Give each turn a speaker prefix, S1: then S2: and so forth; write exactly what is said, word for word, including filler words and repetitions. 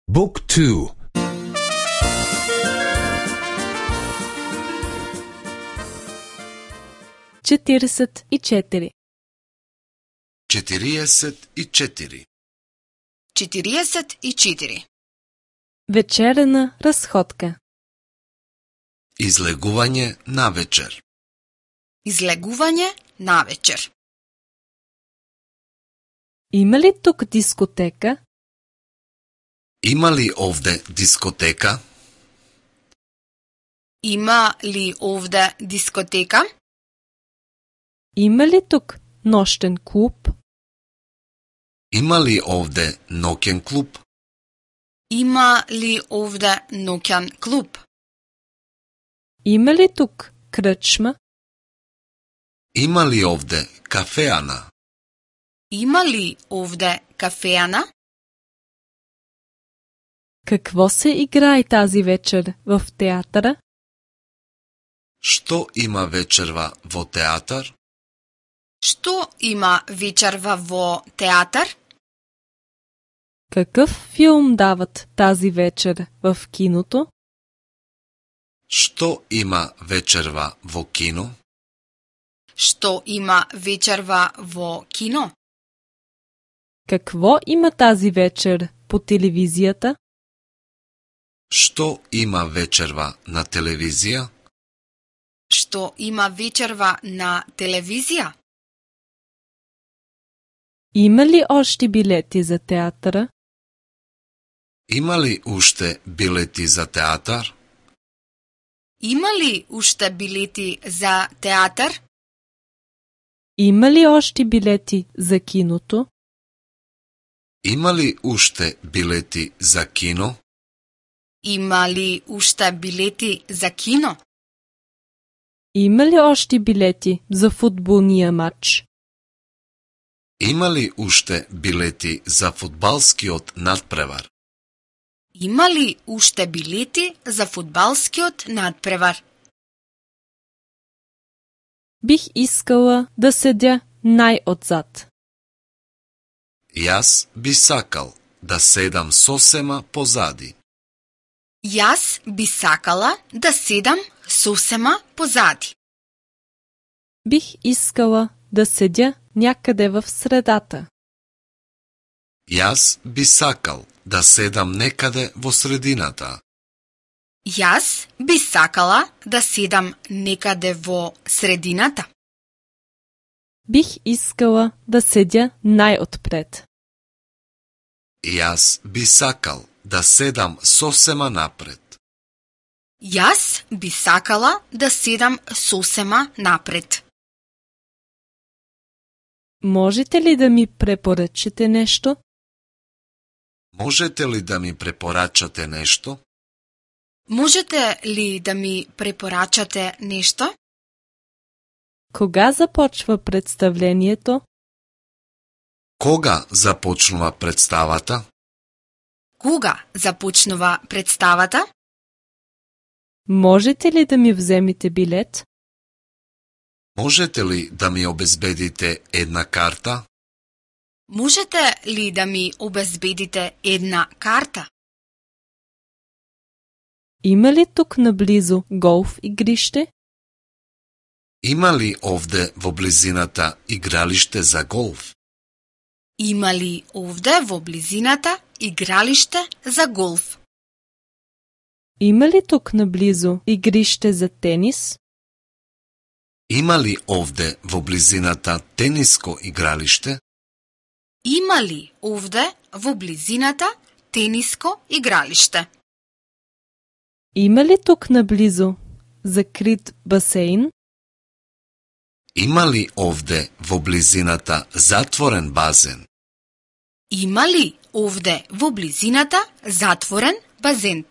S1: Book two.
S2: четиридесет и четири.
S3: четириесет и четири.
S4: четириесет и четири.
S2: Вечерена разходка.
S3: Излегување на вечер.
S4: Излегување на вечер.
S2: Има ли тук дискотека?
S3: Има ли овде дискотека?
S4: Има ли овде дискотека?
S2: Има ли тук нощен клуб?
S3: Има ли овде ноќен клуб?
S4: Има ли овде ноќен клуб?
S2: Има ли тук кръчма?
S3: Има ли овде кафеана?
S4: Има ли овде кафеана?
S2: Какво се играе тази вечер в театъра?
S3: Што има вечерва во театар?
S4: Што има вечерва во театар?
S2: Какъв филм дават тази вечер в киното?
S3: Што има вечерва во кино?
S4: Што има вечерва во кино?
S2: Какво има тази вечер по телевизията?
S3: Што има вечерва на телевизија?
S4: Што има вечерва на телевизија?
S2: Има ли още билети за театъра?
S3: Има ли уште билети за театар?
S4: Има ли уште билети за театар?
S2: Има ли още билети за киното?
S3: Има ли уште билети за кино?
S4: Има ли уште билети за кино?
S2: Има ли още билети за футболния матч?
S3: Има ли уште билети за фудбалскиот надпревар?
S4: Има ли уште билети за фудбалскиот надпревар?
S2: Бих искала да седя най-отзад.
S3: Јас би сакал да седам сосема позади.
S4: Јас би сакала да седам сосема позади.
S2: Бих искала да седя някъде в средата.
S3: Јас би сакал да седам некаде во средината.
S4: Јас би сакала да седам некаде во средината.
S2: Бих искала да седя най-отпред.
S3: Јас би сакал да седам сосема напред.
S4: Јас би сакала да седам сосема напред.
S2: Можете ли да ми препоръчате нещо?
S3: Можете ли да ми препорачате нешто?
S4: Можете ли да ми препорачате нешто?
S2: Кога започва представлението?
S3: Кога започнува представата?
S4: Кога започнува представата?
S2: Можете ли да ми вземете билет?
S3: Можете ли да ми обезбедите една карта?
S4: Можете ли да ми обезбедите една карта?
S2: Има ли тук наблизо голф игрище?
S3: Има ли овде во близината игралиште за голф?
S4: Има ли овде во близината игралиште за голф?
S2: Има ли тук наблизо игрище за тенис?
S3: Има ли овде во близината тениско игралиште?
S4: Има ли овде во близината тениско игралиште?
S2: Има ли тук наблизо закрит басейн?
S3: Има ли овде во близината затворен базен?
S4: Има ли овде во близината затворен базен?